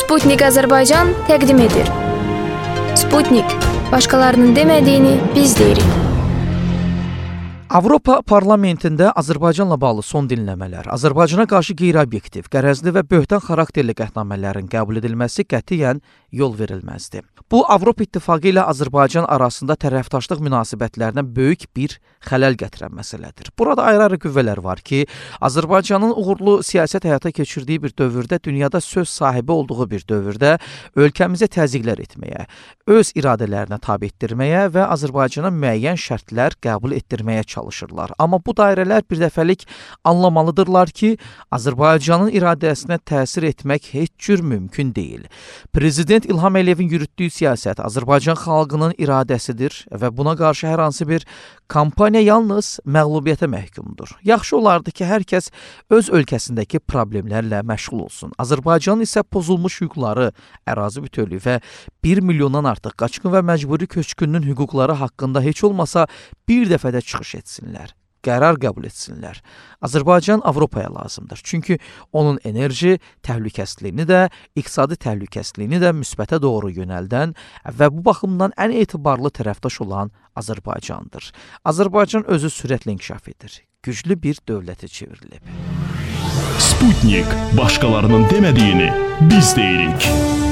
Sputnik Azərbaycan təqdim edir. Sputnik, başqalarının demədiyini biz deyirik. Avropa Parlamentində Azərbaycanla bağlı son dinləmələr, Azərbaycana qarşı qeyri-obyektiv, qərəzli və böhtan xarakterli qətnamələrin qəbul edilməsi qətiyyən yol verilməzdir. Bu, Avropa İttifaqı ilə Azərbaycan arasında tərəfdaşlıq münasibətlərinə böyük bir xələl gətirən məsələdir. Burada ayrı-ayrı qüvvələr var ki, Azərbaycanın uğurlu siyasət həyata keçirdiyi bir dövrdə, dünyada söz sahibi olduğu bir dövrdə ölkəmizə təzyiqlər etməyə, öz iradələrinə tabe etdirməyə və Azərbaycana müəyyən şərtlər qəbul etdirməyə çalışırlar. Amma bu dairələr birdəfəlik anlamalıdırlar ki, Azərbaycanın iradəsinə təsir etmək heç cür mümkün deyil. Prezident İlham Əliyevin yürütdüyü siyasət Azərbaycan xalqının iradəsidir və buna qarşı hər hansı bir kampaniya yalnız məğlubiyyətə məhkumdur. Yaxşı olardı ki, hər kəs öz ölkəsindəki problemlərlə məşğul olsun. Azərbaycanın isə pozulmuş hüquqları, ərazi bütövlüyü və 1 milyondan artıq qaçqın və məcburi köçkünün hüquqları haqqında heç olmasa bir dəfədə çıxış etsinlər, qərar qəbul etsinlər. Azərbaycan Avropaya lazımdır. Çünki onun enerji təhlükəsizliyini də, iqtisadi təhlükəsizliyini də müsbətə doğru yönəldən və bu baxımdan ən etibarlı tərəfdaş olan Azərbaycandır. Azərbaycan özü sürətlə inkişaf edir. Güclü bir dövlətə çevrilib. Sputnik, başqalarının demədiyini biz deyirik.